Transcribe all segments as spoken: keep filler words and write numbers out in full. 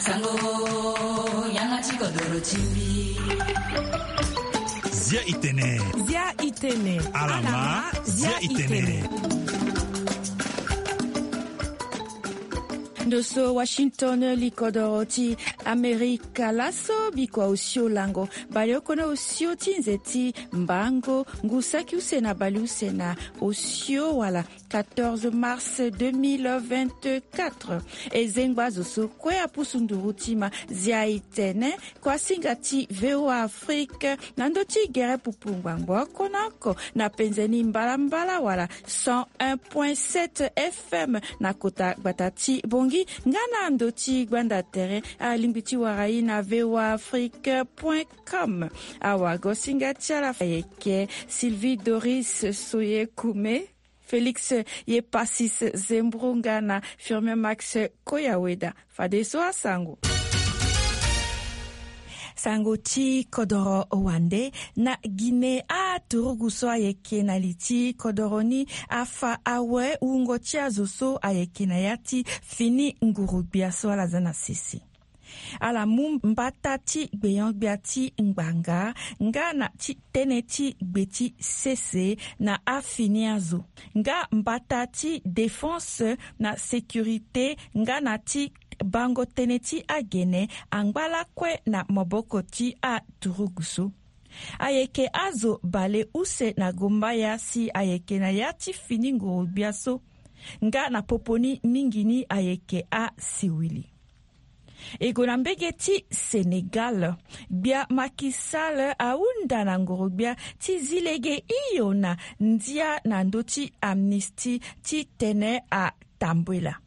Sango, yanga ti kodoro ti mbi. Zia itene. Zia itene. Alama, zia itene. Ndo so Washington, likodoro ti Amerika laso, bikua osio lango. Baleoko na osio ti nze ti mbango, ngu saki use na baleuse na osio wala quatorze mars deux mille vingt-quatre. E zengba zo so kue apusu nduru ti ma, zia itene, kuasinga ti V O A Afrique, na ndö ti gere pupu ngbangbo oko na oko, na penze ni mbalambala wala cent un point sept F M na kota gbata ti Bongi, nga na ndö ti gbanda tere, alingbi ti wara ye na V O A Afrique point com. Awagosinga ti ala ayeke Sylvie Doris Soye Koume, Félix Yepasis Zembrunga na Firmin Max Koyaweda. Fadeso asango. Sango ti kodoro wande. Na Guinée, aturugu so ayeke na li ti kodoro ni afa awe wungo ti azo so ayeke na ya ti fini nguru-gbia so ala za na sese. Ala mu mbata ti gbenyo-gbia ti ngbanga nga na ti tënë ti gbe ti sese na afini azo, nga mbata ti défense na sécurité nga na ti bango tënë ti agene angba lakue na maboko ti aturugu so. Ayeke azo baleuse na gombaya si ayeke na ya ti fini nguru-gbia so, nga na popo ni mingi ni ayeke asiwili. E gue na mbege ti Sénégal. Gbia Macky Sall ahunda na nguru-gbia ti zi lege hio na ndia na ndö ti amnistie titene atambula.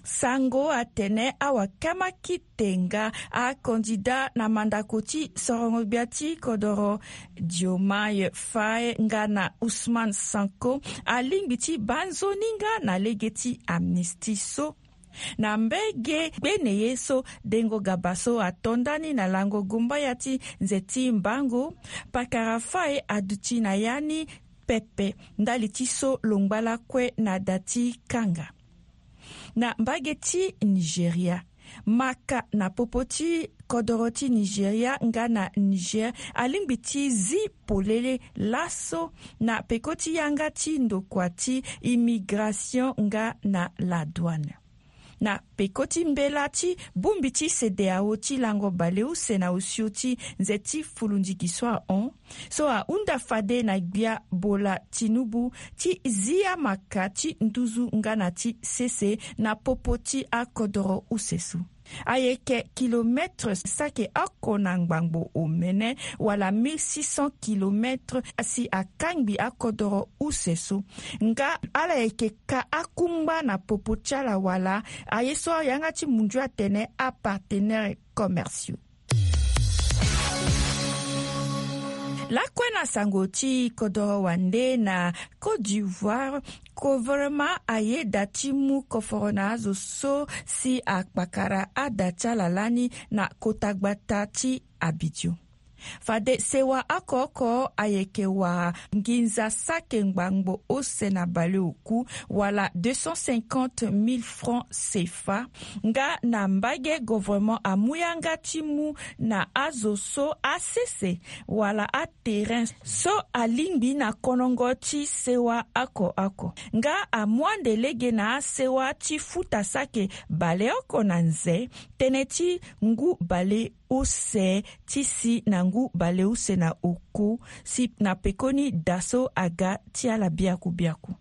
Sango atene awakama kite nga akandida na mandako ti sorongo-gbia ti kodoro Diomaye Faye nga na Ousmane Sonko alingbi ti baa nzoni nga na lege ti amnistie so. Na mbege gbene ye so, dengo gaba so ato ndani na lango gombaya ti nze ti mbango, pakara Faye aduti na ya ni pepe ndali ti so lo ngba lakue na da ti kanga. Na mbage ti Nigeria, maka na popo ti kodoro ti Nigeria nga na Niger alingbi ti zi polele laso na peko ti yanga ti ndokua ti immigration nga na la douane. Na peko ti mbela ti bongbi ti CEDEAO ti lango baleuse na osio ti nze ti fulundigi so ahon, so ahunda fade na gbia Bola Tinubu ti zi amaka ti nduzu nga na ti sese na popo ti akodoro use so. Ayeke kilometre sake oko na ngbangbo omene, wala mille six cents kilomètres, si akangbi akodoro use so. Nga ala yeke ka akungba na popo ti ala wala aye so ayanga ti mundu atene apartenaires commerciaux. Lakue na sango ti kodoro wande, na Côte d'Ivoire, gouvernement ayeda ti mu koforo na azo so si akpakara ada ti ala lani na kota gbata ti Abidjan. Fade sewa oko oko ayeke wara nginza sake ngbangbo use na baleoku, wala deux cent cinquante mille francs C F A. Nga na mbage, gouvernement amu yanga ti mu na azo so asese wala aterrain so alingbi na konongo ti sewa oko oko. Nga amu ande lege na asewa ti futa sake baleoko na nze, tënë ti ngu baleuse ti si na ngu baleuse na oku, si na pekoni da so aga ti ala biaku biaku.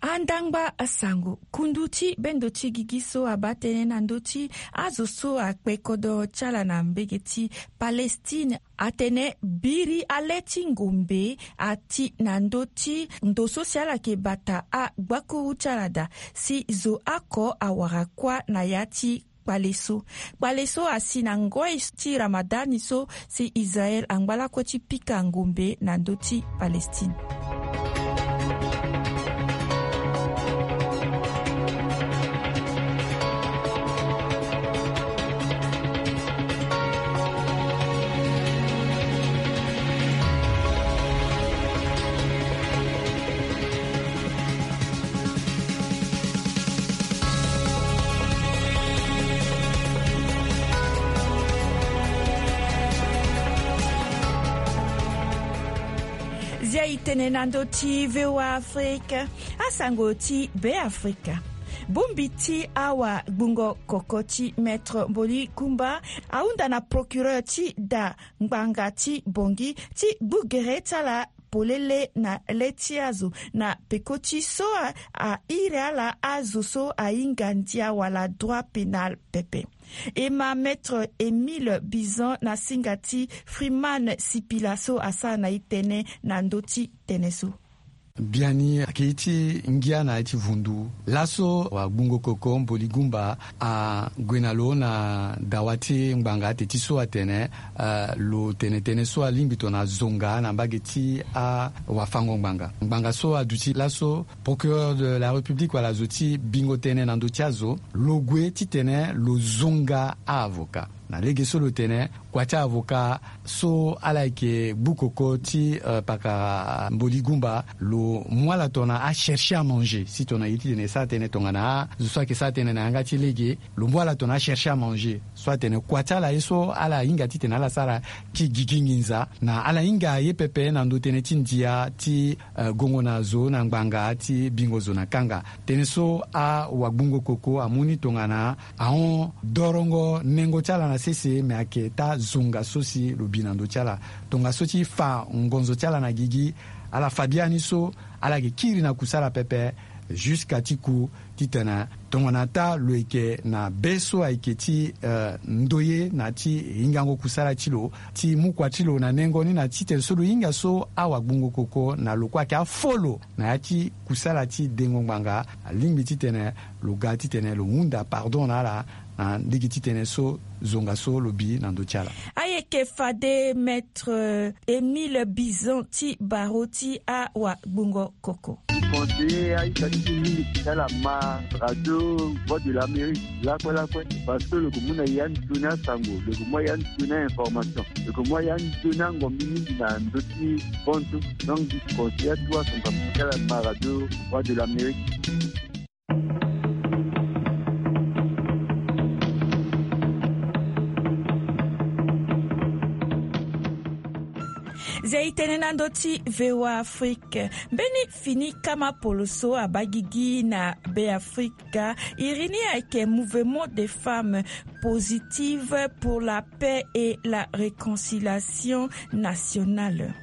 Andangba asango, kundu ti bendo ti gigi so abaa tënë na ndö ti azo so akpe kodoro ti ala na mbege ti Palestine atene biri ale ti ngombe ati na ndö ti ndo so si ala yeke bata agbakuru ti ala daa, si zo oko awara kuâ na ya ti kpale so. Kpale so asi na ngoi ti Ramadan so si Israël angba lakue ti pika ngombe na ndö ti Palestine. Tene na ndö ti VOA Afrique, asango ti Be Afrika. Bongbi ti awagbungo koko ti Maître Mboli Gumba ahunda na procureur ti da ngbanga ti Bangui ti gbu gere ti ala polele na le ti azo na peko ti so a, a iri ala azo so ahinga ndia wala droit pénal pepe. E ma Maître Émile Bizan na singa ti Freeman Sipila so asara na e tënë na ndö ti tënë so. Biani ayeke ye ti ngia na ya ti vundu. Laso wagbungo koko Mboli Gumba ague na lo na dawa ti ngbanga teti so atene, eh, lo tene tënë so alingbi tongana zonga na mbage ti awafango ngbanga. Ngbanga so aduti laso, procureur de la République wala zo ti bingo tënë na ndö ti azo, lo gue titene lo zonga a-avocat. Na lege so lo tene, kua ti avocat so ala yeke gbu koko ti, eh, pakara Mboli Gumba, lo mu ala tongana achercher à manger. Si tongana e ye titene e sara tënë tongana azo so ayeke sara tënë na yanga ti lege, lo mu ala tongana achercher à manger. So atene kua ti ala ye so ala hinga titene ala sara ti gigi nginza, na ala hinga ye pepe na ndö tënë ti ndia ti, eh, gongo na zo na ngbanga ti bingo zo na kanga. Tënë so awagbungo koko amu ni tongana ahon dorongo nengo ti ala na sese, me ayeke taa zonga so si lo bi na ndö ti ala. Tongaso ti fa ngonzo ti ala na gigi, ala fa biani so, ala yeke kiri na kusala pepe, jusqu'à ti ku titene tongana taa lo yeke na be so ayeke ti, eh, ndoye na ti hingango kusala ti lo, ti mu kua ti lo na nengo ni na titene so lo hinga so awagbungo koko na lo kue ayeke afo lo na ya ti kusala ti dengo ngbanga, alingbi titene lo ga titene lo hunda pardon na ala, na lege ti tënë so zonga so lo bi na ndö ti ala. Ayeke fade Maître Émile Bizan ti barreau ti awagbungo koko. Ti conseiller aita ti mingi ti ala ma radio Voix de l'Amérique lakue lakue, parce que lo yeke mu na ya nzoni asango, lo yeke mu ya nzoni a-information, lo yeke mu ya nzoni angombi mingi na ndö ti bontu. Donc, ti conseiller atu asango ti ala ma radio Voix de l'Amérique. Zia e tene na ndö ti VOA Afrique. Mbeni fini kama poloso abaa gigi na Be Afrika. Iri ni ayeke Mouvement des Femmes Positives pour la Paix et la Réconciliation Nationale.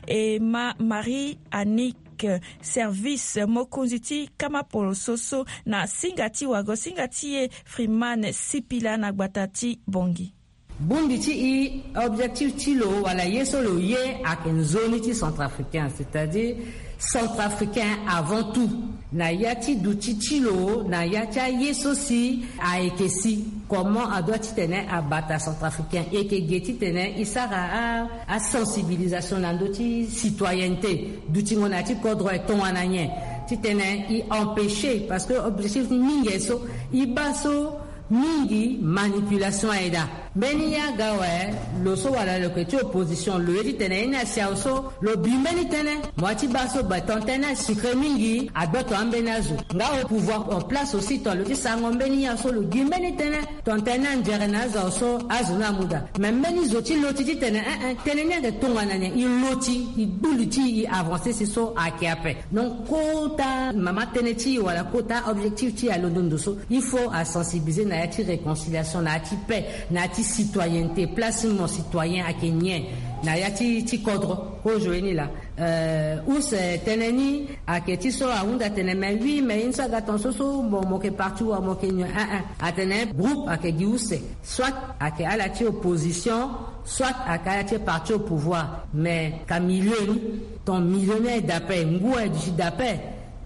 E ma Marie Annick, service mokonzi ti kama poloso so na singa ti wago singa ti e Freeman Sipila na gbata ti Bangui. Bongbi ti e, objectif ti lo wala ye so lo ye ayeke nzoni ti centrafricain, c'est-à-dire centrafricain avant tout. Na ya ti duti ti lo, na ya ti aye so si ayeke si, comment adoit titene abata centrafricain, e yeke ge titene e sara a, asensibilisation na ndö ti citoyenneté, dutingo na ya ti kodro e tongana nyen, titene e empêcher, parce que objectif ni mingi so, e baa so mingi manipulation aye daa. Mbeni ye aga awe, lo so wala lo yeke ti opposition, lo ye titene ye ni asi awe so, lo bi mbeni tënë. Mo ya ti baa so, ba, tongana tënë ni asucre mingi, agboto ambeni azo. Nga opouvoir en place aussi, tongana lo ti sarango mbeni ye awe so, lo gi mbeni tënë. Tongana tënë ni anzere na azo awe so, azo ni amu daa. Me mbeni zo ti loti titene, eh, eh, tënë ni ayeke tongana nyen, e loti, e gbu li ti e, e avancer si so ayeke ape. Donc kota mama tënë ti e wala kota objectif ti e alondo ndo so. Il faut asensibiliser na ya ti réconciliation, na ya ti paix, na ya ti citoyenneté, place ti mo citoyen ayeke nyen na ya ti, ti kodro. Kozo ye ni laa. Euh, use tënë ni ayeke ti so ahunda tene, mais oui, mais ye ni so aga tonga so so, bon, mo yeke parti wa mo yeke nyen, eh, eh. Atene groupe ayeke gi use. Soit ayeke ala ti opposition, soit ayeke ala ti parti au pouvoir. Mais ka milieu ni, ton milieu ni aye daa ape, ngu aye duti daa ape,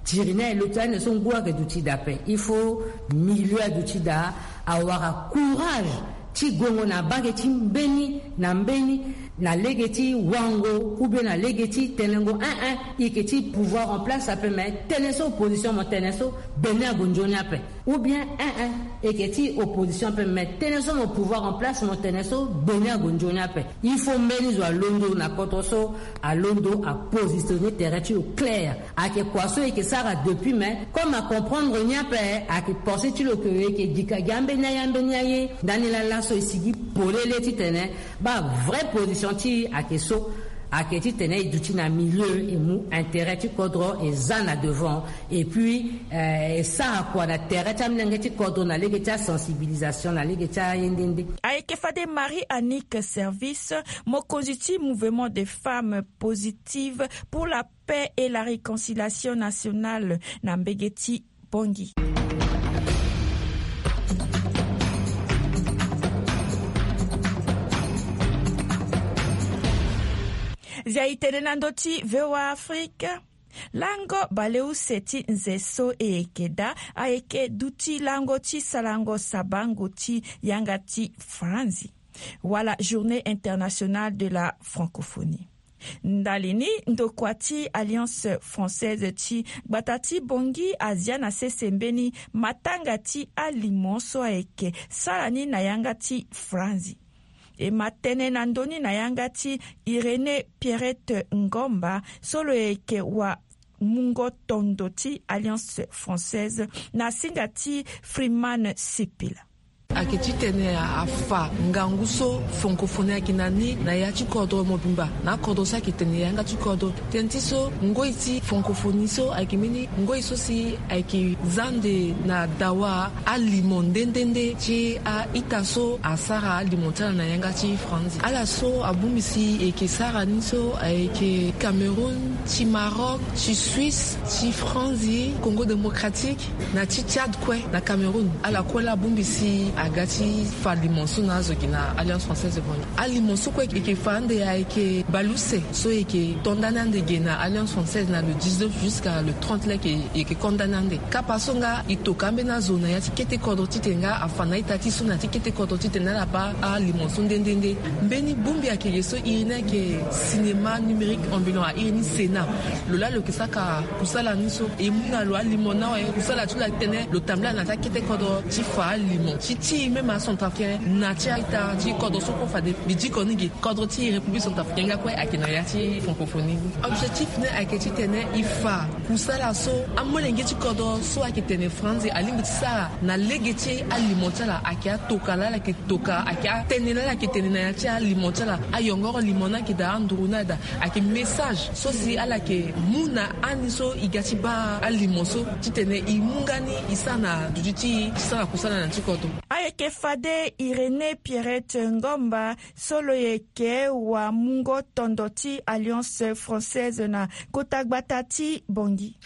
tiri ni aye loti ande so ngu ayeke duti daa ape. Il faut milieu aduti daa, awara courage ti gongo na mbage ti mbeni na mbeni, na lege ti wango, ou bien na lege ti tenengo, eh, eh, e yeke ti pouvoir en place ape, mais tënë so opposition mo tene so, gbe ni ague nzoni ape. Ou bien, eh, eh, e yeke ti opposition ape, mais tënë so mo pouvoir en place mo tene so, gbe ni ague nzoni ape. Il faut mbeni zo alondo na kodro so, alondo apositionner tere ti lo clair. Ayeke kua so e yeke sara depuis, mais comme acomprendre ni ape, ayeke pensé ti lo ke e yeke gi ka gi ambeni aye, ambeni aye. Ndani laa laso e sigi polele titene baa vrai position ti e ayeke so. Ayeke titene e duti na milieu e mu intérêt ti kodro e za na devant. Et puis e sara kua na tere ti amolenge ti kodro na lege ti asensibilisation na lege ti aye nde nde. Ayeke fade Marie Annick Service, mokonzi ti Mouvement des Femmes Positives pour la Paix et la Réconciliation Nationale na mbege ti Bangui. Zia itene na ndö ti V O A Afrique. Lango baleuse ti nze so e yeke daa ayeke duti lango ti sarango sabango ti yanga ti Franzi, wala Journée internationale de la francophonie. Ndali ni, ndokua ti Alliance française ti gbata ti Bangui azia na sese mbeni matanga ti alimo so ayeke sara ni na yanga ti Franzi. E ma tene na ndö ni na yanga ti Irénée Pierrette Ngomba, so lo yeke wa mungo tondo ti Alliance française na singa ti Freeman Sipila. Ayeke titene afa ngangu so francophonie ayeke na ni na ya ti kodro mobimba, na akodro so ayeke tene yanga ti kodro. Tënë ti so, ngoi ti francophonie so ayeke mbeni ngoi so si ayeke za nde na dawa alimo nde nde nde ti a-ita so asara alimo ti ala na yanga ti Franzi. Ala so abongbi si e yeke sara ni so ayeke Cameroun, ti Maroc, ti Suisse, ti Franzi, Congo Démocratique, na ti Tchad kue, na Cameroun. Ala kue la abongbi si aga ti fa alimo so na azo gi na Alliance française de Bangui. Alimo so kue e yeke fa ande ayeke baleuse so e yeke to ndani ande gi na Alliance française na le dix-neuf jusqu'à le trente leke e yeke ko ndani ande. Kapa so nga e toka ambeni azo na ya ti kete kodro titene nga afa na a-ita ti so na ya ti kete kodro titene ala baa alimo so nde nde nde. Mbeni bongbi ayeke ge so iri ni ayeke cinéma numérique ambulant, a iri ni Sénat. Lo la lo yeke saka kusala ni so e mu na lo alimo ni awe. Kusala ti lo ayeke tene lo tambula na ya ti akete kodro ti fa alimo ti ti même acentrafricain na ti a-ita ti kodro so kue fade. Mbi diko ni ge kodro ti République centrafricaine nga kue ayeke na ya ti francophonie ni. Objectif ni ayeke titene e fa kusala so amolenge ti kodro so ayeke tene Franzi alingbi ti sara na lege ti alimo ti ala ayeke atoka laa ala yeke toka, ayeke atënë laa ala yeke tene na ya ti alimo ti ala. Ayongoro limo ni ayeke daa, anduru ni ayeke daa. Ayeke message so si ala yeke mu na ani so e ga ti baa alimo so titene e mu nga ni e sara na duti ti e ti sara kusala na ya ti kodro. Ayeke fade Irénée Pierrette Ngomba, so lo yeke wa mungo tondo ti Alliance française na kota gbata ti Bangui.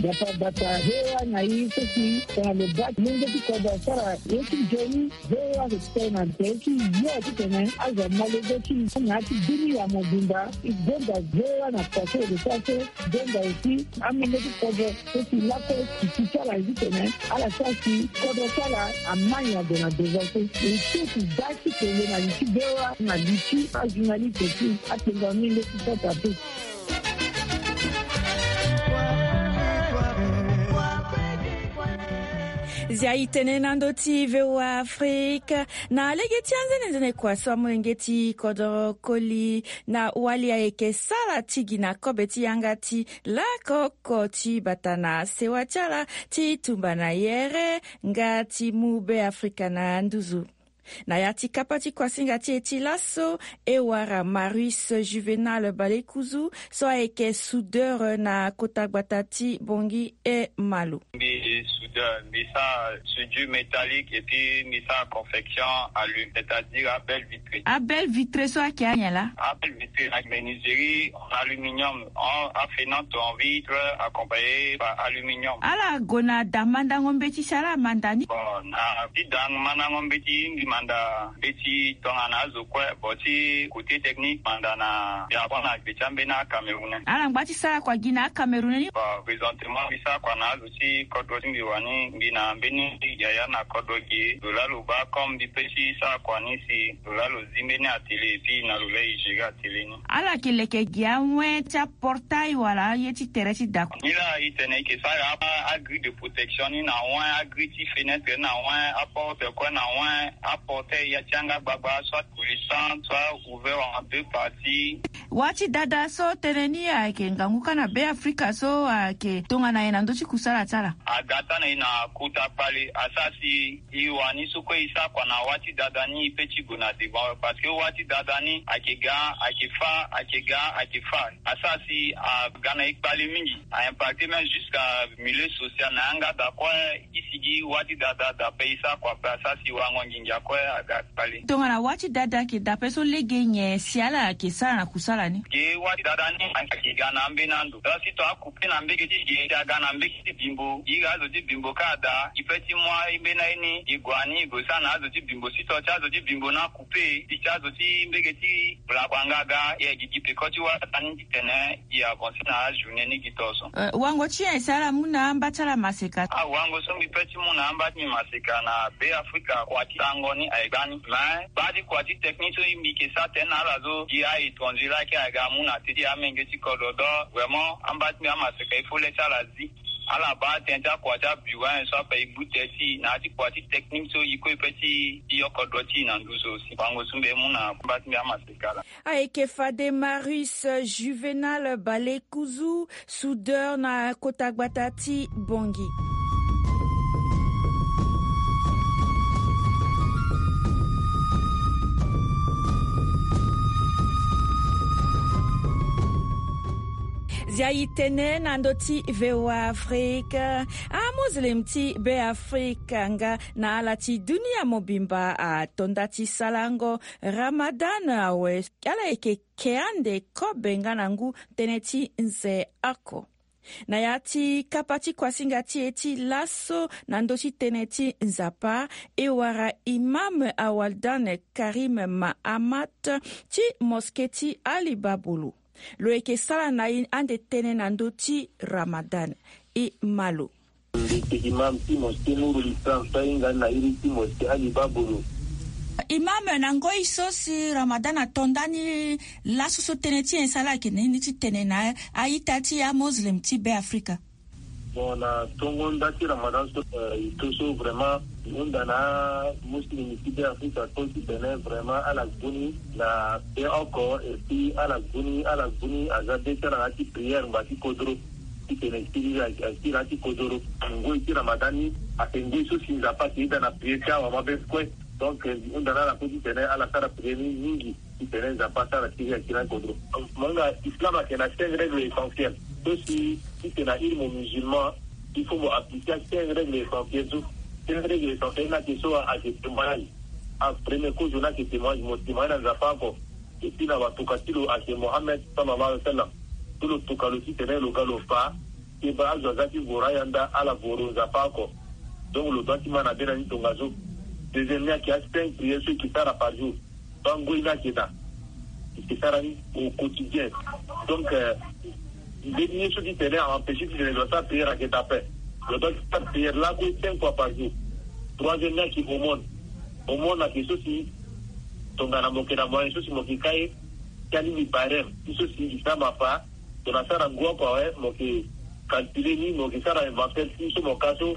Gbata gbata, V O A na i so si tongana lo baa ti mungo ti kodro asara ye ti nzoni. V O A ayeke tene na tere ti yo titene azo amolenge ti i na ya ti dunia mobimba. E gonda V O A na kua so e yeke sara so. Gonda aussi amolenge ti kodro so si lakue titi ti ala ye titene ala sara si kodro ti ala amai ade na devant so. E so si da ti kele na li ti V O A na li ti ajournaliste ti atengo amolenge ti sasa te. Zia itene na ndö ti V O A Afrique. Na lege ti anzenenzene kua so amolenge ti kodro koli na wali ayeke sara ti gi na kobe ti yanga ti lakoko ti bata na sewa ti ala ti tumba na yere nga ti mu Be Afrika na nduzu. Na ya ti kapa ti kuasinga ti e ti laso, e wara Marius Juvenal Balekuzu so ayeke soudeur na kota gbata ti Bangui e Malo. Mbi soudeur, mbi sara soudure métallique et puis mbi sara confection aluminium, c'est-à-dire abel vitré. Abel vitré so ayeke anyen laa? Abel vitré na menuiserie en aluminium, en afenante en vitre accompagnée par aluminium. Ala gue na da mandango mbeti si ala manda ni? Bon, na ti da mandango mbeti mbi manda mbeti tongana azo kue. Bon, ti côté technique manda na, mbi apprendre na gbe ti ambeni acamerounais. Ala ngba ti sara kua gi na acamerounais ni? Bon, présentement mbi sara kua na azo ti kodro ti mbi wani, mbi na mbeni yaya na kodro gi. Lo laa lo baa comme mbi pe ti sara kua ni si lo laa lo zi mbeni atelier et puis na lo laa e gérer atelier ni. Ala yeke leke gi awen ti aportail wala aye ti tere ti da kua? Ni laa e tene e yeke sara a, agrille de protection ni na awen, agrille ti fenêtre na awen, aporte kue na awen, a Portail ya ti yanga gbagba, soit coulissant, soit ouvert en deux parties. Wâ ti dada so tënë ni ayeke ngangu kâ na Beafrika so ayeke tongana nyen na ndö ti kusala ti ala? Aga tâ na e na kota kpale, asara si e wani so kue e sara kua na wâ ti dada ni e pe ti gue na devant awe, parce que wâ ti dada ni ayeke ga, ayeke fâ, ayeke ga, ayeke fâ. Asara si aga na e kpale mingi, a impacté même jusqu'à milieu social na yanga da kue. E sigi wâ ti dada da pe e sara kua pe asara si wango nginza kue aga kpale. Tongana wâ ti dada ayeke da pe so lege nyen si ala yeke sara na kusala ni? Ge wâ ti dada ni ayeke ga na ambeni ando. Donc si tongana akoupe na mbege ti ge si aga na mbege ti bimbo, iri azo ti bimbo kâ ada, e pe ti mu ambeni aye ni e gue na ni e gue sara na azo ti bimbo. Si to ti azo ti bimbo ni akoupe, si ti azo ti mbege ti bula kua nga aga, e gigi peko ti wâ dada ni titene e avancer na ajournée ni gi to so. Eh, wango ti nyen si ala mu na amba ti ala maseka? Ah, wango so mbi pe ti mu na amba ti mbi maseka na Beafrika, kua ti tango ni aye gbani. Mais baa ti kua ti technique so mbi yeke sara tënë na ala so, gi a-étranger laa ayeke aga amu na teti amenge ti kodro. Donc vraiment amba ti mbi amaseka, il faut le ti ala zi. Ala baa tënë ti akua ti abureau so ape e gbu tënë ti e na ya ti kua ti technique so e kue e pe ti, ti yoko dro ti e na nduzu aussi. Wango so mbi mu na amba ti mbi amaseka laa. Ayeke fade Marius Juvenal Balekuzu, soudeur na kota gbata ti Bangui. Zia e tene na ndö ti V O A Afrika. Amuslim ti Beafrika nga na ala ti dunia mobimba ato nda ti sarango Ramadan awe. Ala yeke ke ande kobe nga na ngu tënë ti nze oko. Na ya ti kapa ti kuasinga ti e ti laso na ndö ti tënë ti Nzapa, e wara imam Awaldan Karim Mahamat ti mosquée ti Ali Babulu. Lo yeke sara na e ande tënë na ndö ti Ramadan. E ma lo. Mbi yeke imam ti mosquée Nourul Islam so ahinga ni na iri ti mosquée Ali Babulu. Imam, na ngoi so si Ramadan ato nda ni, laso so tënë ti nyen si ala yeke na ni ti tene na a-ita ti amuslim ti Beafrika? Bon, na tongo nda ti Ramadan so, eh, e to so vraiment e hunda na amuslim ti Beafrika so titene vraiment ala gue ni na be oko, et puis ala gue ni, ala gue ni aza be ti ala na ya ti prière ngba ti kodro. Titene e siri, a siri na ya ti kodro. Ngoi ti Ramadan ni ayeke ngoi so si Nzapa ayeke ida na prière ti awamabe kue. Donc e hunda na ala kue titene ala sara prière ni mingi. Titene Nzapa asara siri ayeke na kodro. Mo hinga Islam ayeke na cinq règles essentielles. So si titene na iri mo musulman, il faut mo appliquer cinq règles essentielles so. Cinq règles essentielles ni ayeke so ayeke témoignage. A premier kozo ni ayeke témoignage, mo témoignage na Nzapa oko. Et puis na watuka ti lo ayeke Mohammed sallallahu alaihi wasallam. So lo tuka lo titene lo ga lo fa, keba azo aza ti voro ayanda ala voro Nzapa oko. Donc lo doit ti ma na be na ni tongaso. Deuxième ni ayeke a cinq prières so e ke sara par jour. Baa ngoi ni ayeke daa. E ke sara ni au quotidien. Donc, euh, mbeni ye so titene a empêcher titene lo sara prière ayeke daa ape. Lo doit ti sara prière lakue cinq fois par jour. Troisième ni ayeke aumône. Aumône ayeke so si tongana mo yeke na moyen so si mo yeke ka ye ti alingbi barème ti so si Islam afa, tongana asara ngu oko awe, mo yeke calculer ni, mo yeke sara inventaire ti so mo ka so,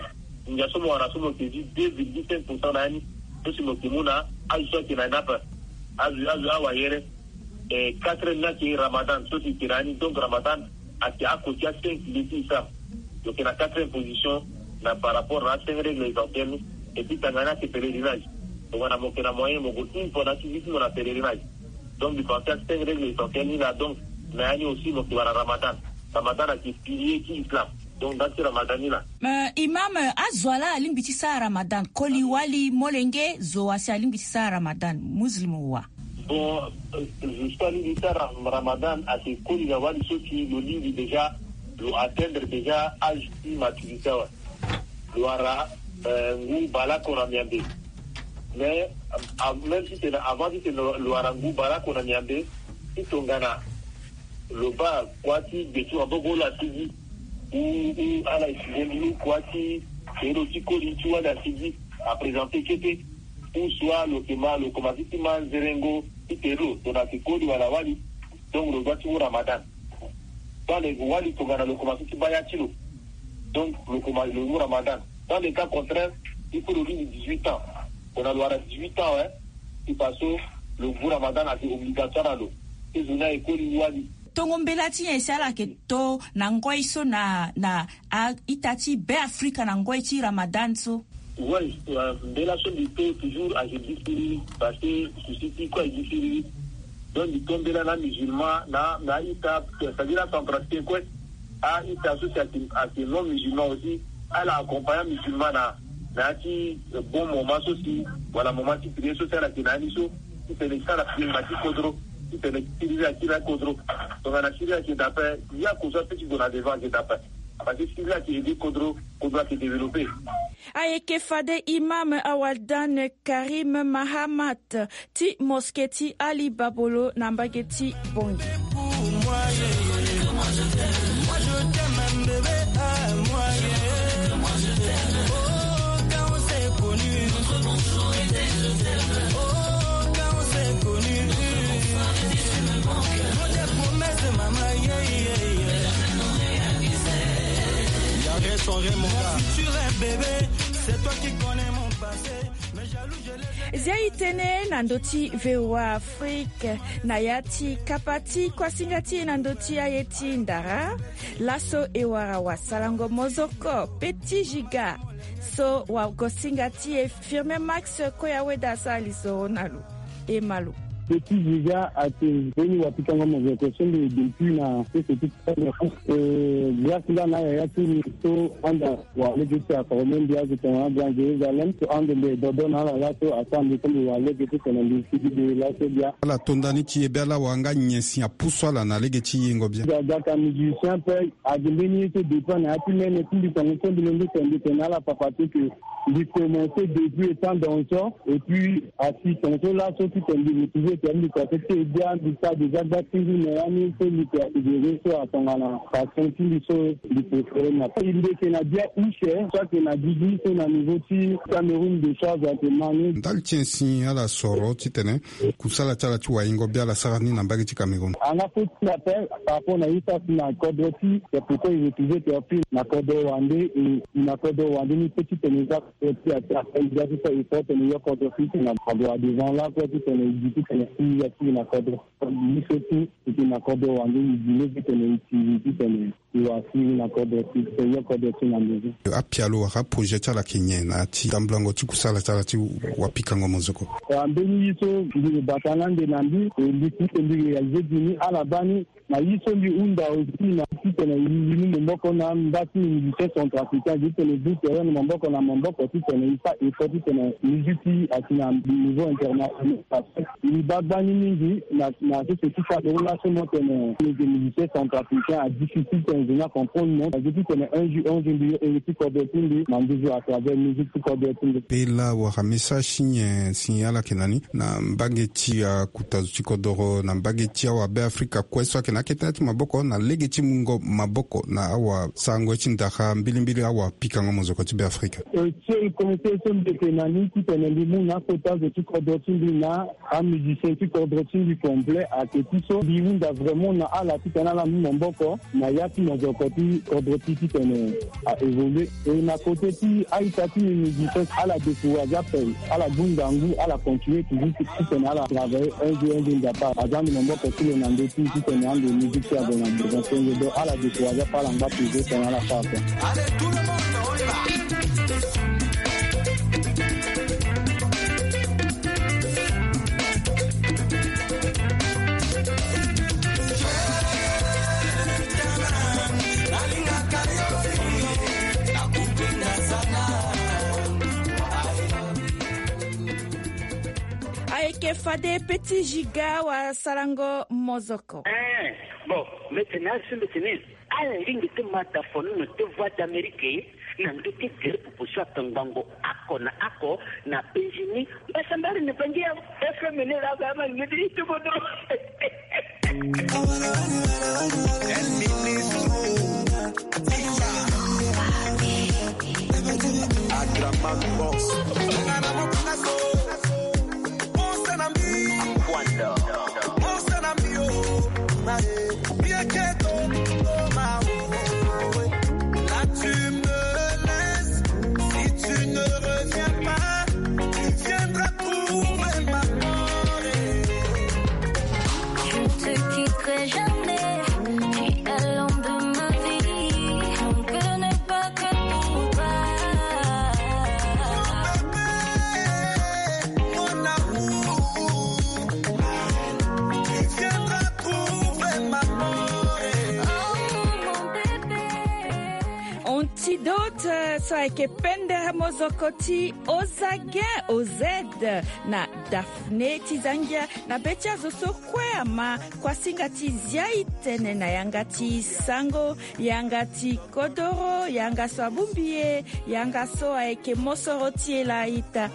ngia so mo wara so mo yeke zi deux virgule cinq pour cent na ya ni, so si mo yeke mu na azo so ayeke na ni ape. Azo, azo awayere. Eh, quatrième ni ayeke Ramadan so si e yeke na ya ni. Donc Ramadan ayeke oko ti a cinq piliers ti Islam. Lo yeke na quatrième position na par rapport na a cinq règles essentielles ni. Et puis tanga ni ayeke pèlerinage. Tongana mo yeke na moyen mo gue une fois na ya ti vie ti mo na pèlerinage. Donc mbi pense a cinq règles essentielles ni laa. Donc na ya ni aussi mo yeke wara Ramadan. Ramadan ayeke pilier ti Islam. Donc nda ti Ramadan ni laa. Euh, imam, euh, azo wa laa alingbi ti sara Ramadan? Koli wali, molenge, zo wa si alingbi ti sara Ramadan, muslim wa? Bon, euh, zo so alingbi ti sara Ramadan ayeke koli na wali so si lo lingbi déjà, lo atteindre déjà âge ti maturité awe. Lo wara, euh, ngu baleoko na miambe. Mais, euh, même si titene avant titene lo wara ngu baleoko na miambe, si tongana lo baa kuâ ti gbe ti maboko lo asigi, ou, ou ala sigi ngu kuâ ti tere lo ti koli ti wali asigi, aprésenter kete, ou soit lo yeke ma, lo komanse ti ma nzerengo ti tere lo, tongana ayeke koli wala wali, donc lo doit ti mu Ramadan. Soit lo yeke wali tongana lo komanse ti baa ya ti lo, donc lo koma, lo mu Ramadan. Dans le cas contraire, il faut lo lingbi dix-huit ans. Gue na lo wara dix-huit ans, eh. Ti paso lo ngu Ramadan ayeke obligatoire na lo. Ti zo ni ayeke koli wali. Tongo mbela ti nyen si ala yeke to na ngoi so na, na a-ita ti Beafrika na ngoi ti Ramadan so? Oui, euh, mbela so mbi to toujours ayeke gi siriri, parce que souci ti kue ayeke gi siriri. Donc mbi to mbela na musulman, na, na a-ita, c'est-à-dire acentrafricain kue. A-ita so si ayeke, ayeke non musulman aussi, ala accompagner musulman na, na ya ti, euh, bon moment so si, wala moment ti prière so si ala yeke na ya ni so, titene ti sara prière na ti kodro, titene siriri ayeke na kodro. Tongana siriri ayeke daa ape, ya kozua pe ti gue na devant ayeke daa ape. Parce que siriri ayeke aider kodro, kodro ayeke développer. Ayeke fade imam Awaldan Karim Mahamat ti mosquée ti Ali Babolo na mbage ti Bangui. Zia e tene na ndö ti V O A Afrique na ya ti kapa ti kuasinga ti e na ndö ti aye ti ndara. Laso e wara wasalango mozoko Petit Giga so wagosinga ti e Firmin Max Koyaweda asara lisoro na lo. E ma lo. Petit Giga ate mbeni wapikango mozoko so mbi depuis na sese ti Eh, grâce nga na yaya ti mbi so anda wara lege ti aforme mbi azo tongana Grand Jérusalem so ande mbi dodo na ala laso asara mbi so mbi wara lege ti tene mbi sigi de laso bia. Ala to nda ni ti e be ala wara nga nyen si apusu ala na lege ti yengo bia. Ga, ga ka musicien pe agi mbeni ye so dépend na ya ti mene ti mbi tongo so mbi londo tene mbi tene na ala papa ti ke mbi commencé depuis étant danseur et puis Asi tongaso laso ti tene mbi retrouver tene mbi kua so ti e bia mbi sara déjà gba ti ngu na ya ni so mbi tene asidere so atongana passion ti mbi so mbi préféré na e mbi yeke na bia use so ayeke na gigi so na niveau ti Cameroun de charge ayeke ma ni. Ndali ti nyen si ala soro titene kusala ti ala ti waingo bia ala sara ni na mbage ti Cameroun? Anga fo ti appel par rapport na ye so asi na kodro ti c'est pourquoi e retrouver tene fi na kodro wande e na kodro wande ni pe titene e za ti a ti a ti a ti so e so tene yo kodro ti tene na kodro a devant la kue ti tene e gi ti tene si ya ti na kodro. Biso ti e ti na kodro wande e gi lege tene e ti gi ti tene e wa si na kodro ti tene yo kodro ti na ndezi. Apialo wala aprojet ti ala ayeke nyen na ya ti tambulango ti kusala ti ala ti wapikango mozoko? Wa mbeni ye so mbi bata na ande na mbi e mbi ti tene mbi réaliser gi ni ala baa ni. Na ye so mbi hunda aussi na titene e mu maboko na mba ti musicien centrafricain titene e bu terrain na maboko na maboko titene e fa effort titene musique ti asi na niveau international parce que e baa gbani mingi na na sese ti Cameroun laso mo tene lege musicien centrafricain a difficile tene zo ni acomprendre mo azo titene un jour un jour mbi yo ere ti kodro ti mbi na nduzu à travers musique ti kodro ti mbi. Pe laa wala message ti nyen si ala yeke na ni na mbage ti akuta zo ti kodoro na mbage ti awabe Afrika kue so ayeke na akete na ya ti maboko na lege ti mungo maboko na awasarango ye ti ndara mbilimbili awapikango mozoko ti Beafrika. E, seul conseil so mbi yeke na ni titene mbi mu na akota zo ti kodro ti mbi na amusicien ti kodro ti mbi complet ayeke ti so mbi hunda vraiment na ala titene ala mu maboko na ya ti mozoko ti kodro ti titene a évoluer. E na côté ti a-ita ti mbi mbi di so ala décourager ape ala du ngangu ala continuer toujours ti titene ala travailler un jour un jour nzapa aza ndo maboko ti lo na ndö ti titene ande musique ti azo na devant tenge donc ala décourager ape ala ngba toujours titene ala sara ape. Ayeke fade Petit Giga wasarango mozoko. Eh, bon, mbi tene asi mbi tene ala lingbi ti ma dafono na ti Voix d'Amérique na ndö ti gere popo so atongbango oko na oko na penzi ni. Mbasambari na bangi ya F M ni la ba ma ni ti kodro. Adraman Boss. Là tu me laisses, si tu ne reviens pas, tu viens Ti dote so ayeke pendere mozoko ti Ozagen Ozed na Daphné ti Zangia na be ti azo so kue ama. Kuasinga ti zia e tene na yanga ti sango, yanga ti kodoro, yanga so abongbi e, yanga so ayeke mosoro ti e laa ita.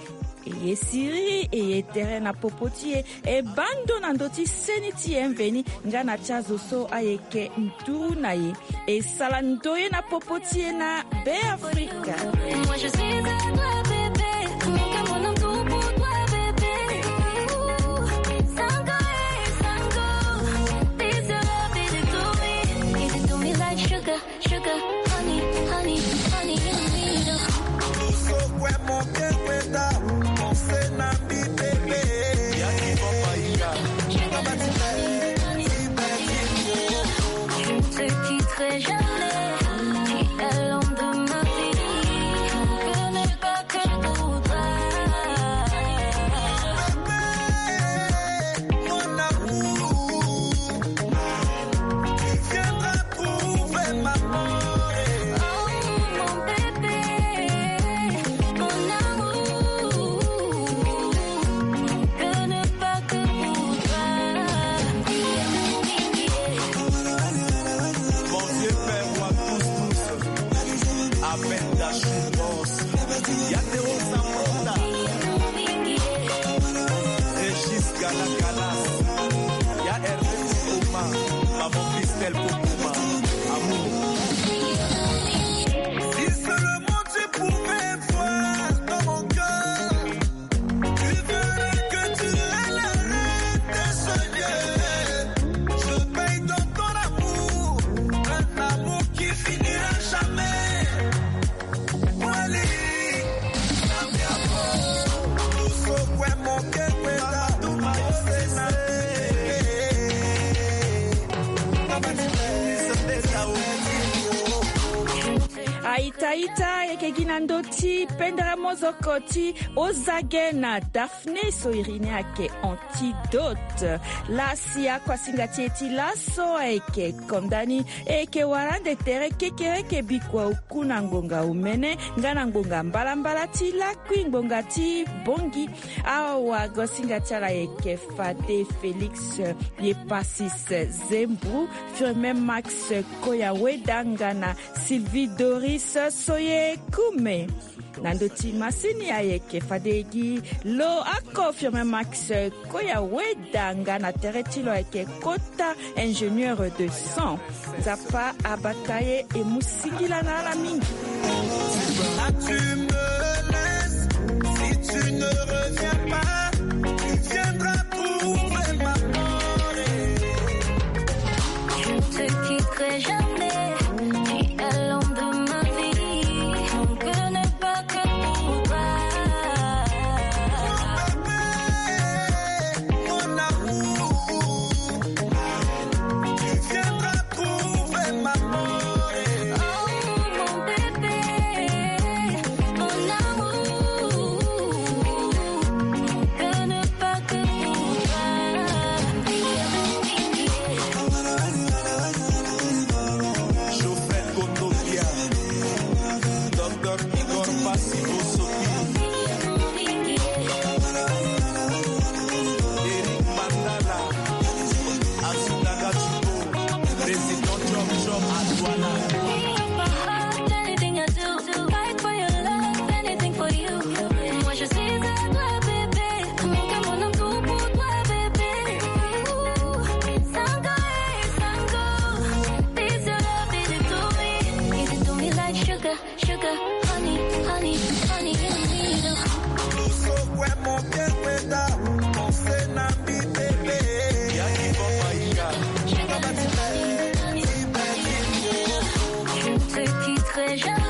E ye siriri, e ye tere na popo ti e, e baa ndo na ndö ti seni ti e mveni nga na ti azo so ayeke nduru na e. E sara ndoye na popo ti e na Be Afrika. Moi, je suis à toi, bébé. Mon cœur, mon amour pour toi, bébé. Sango, eh, sango. This your love, it do me. It do me like sugar, sugar, honey, honey, honey in the middle. Je ne te quitterai jamais. Tu es l'homme de ma vie. Je ne peux pas que pour toi. Mon vieux père, roi tous, tous, Abel Dachou, boss. Ya Théo Sambrota, Régis Gala Galas, ya Hervé Kokoma, maman Christelle Kokoma, amour. Si seulement tu pouvais voir dans mon cœur, tu verrais que tu es la reine de ce lieu. Je paye dans ton amour un amour qui finira jamais. Aita ita, e yeke gi na ndö ti pendere mozoko ti Ozage na Daphné so iri ni ayeke Antidote. Laa si akuasinga ti e ti laso ayeke konda ni. E yeke wara ande tere kekereke bikua oku na ngbonga omene nga na ngbonga mbalambala ti lakui ngbonga ti bongi. Awagosinga ti ala ayeke fade Félix Yepasis Zembrou, Firmin Max Koyaweda nga na Sylvie Doris Soyekume. Na ndö ti masini ayeke fade gi lo ako Firmin Max Koyaweda nga na tere ti lo ayeke kota ingénieur de son. Nzapa abata ye, e mu singila na ala mingi. Ah, tu me laisses, si tu ne reviens pas, tu viendras trouver ma mort. Je ne te quitterai jamais, tu es l'homme de ma vie. Je ne peux pas que pour toi. Mon amour, tu viendras trouver ma mort. Oh, mon bébé, mon amour, je ne peux pas que pour toi. Geoffrey Kotopia, Docteur Igor Passy Bosoki, Eric Mandala, Asuna Gachupo, Président Chop Chop à Douala. Give my heart anything I do. Fight for your love, anything for you. Moi, je suis à toi, bébé. Mon cœur, mon amour pour toi, bébé. Ooh, sango, eh, sango. This your love, it do me. It do me like sugar, sugar, honey, honey, honey in the middle. Je ne te quitterai jamais.